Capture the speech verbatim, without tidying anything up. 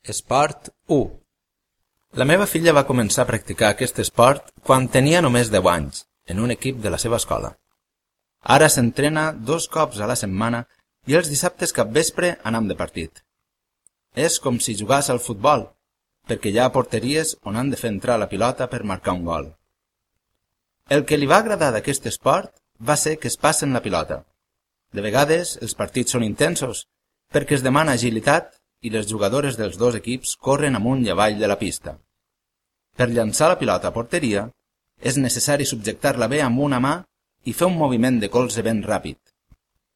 Esport u. La meva filla va començar a practicar aquest esport quan tenia només deu anys, en un equip de la seva escola. Ara s'entrena dos cops a la setmana i els dissabtes capvespre anam de partit. És com si jugàs al futbol, perquè hi ha porteries on han de fer entrar la pilota per marcar un gol. El que li va agradar d'aquest esport va ser que es passen la pilota. De vegades els partits són intensos, perquè es demana agilitat i les jugadores dels dos equips corren amunt i avall de la pista. Per llançar la pilota a porteria, és necessari subjectar-la bé amb una mà i fer un moviment de colze ben ràpid.